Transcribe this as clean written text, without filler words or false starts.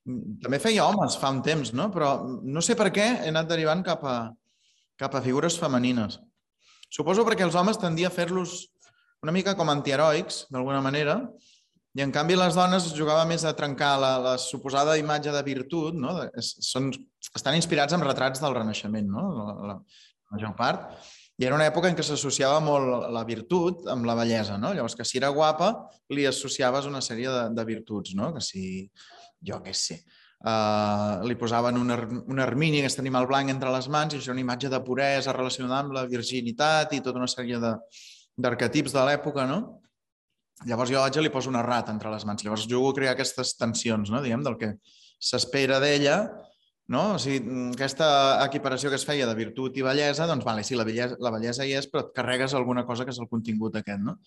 També feia homes fa un temps, no? Però no sé per què he anat derivant cap a figures femenines. Suposo perquè els homes tendia a fer-los una mica com antiheroics, d'alguna manera, i en canvi les dones jugava més a trencar la suposada imatge de virtut, no? Estan inspirats en retrats del Renaixement, no? La major part. I era una època en què s'associava molt la virtut amb la bellesa, no? Llavors, que si era guapa, li associaves una sèrie de virtuts, no? Que si, jo què sé, li posaven un ermini, aquest animal blanc, entre les mans, i això era una imatge de puresa relacionada amb la virginitat i tota una sèrie d'arquetips de l'època, no? Llavors jo vaig i li poso una rata entre les mans. Llavors jugo a crear aquestes tensions, no? Diguem, del que s'espera d'ella, no? O sigui, aquesta equiparació que es feia de virtut i bellesa, doncs, vale, sí, la bellesa hi és, però et carregues alguna cosa que és el contingut aquest, no?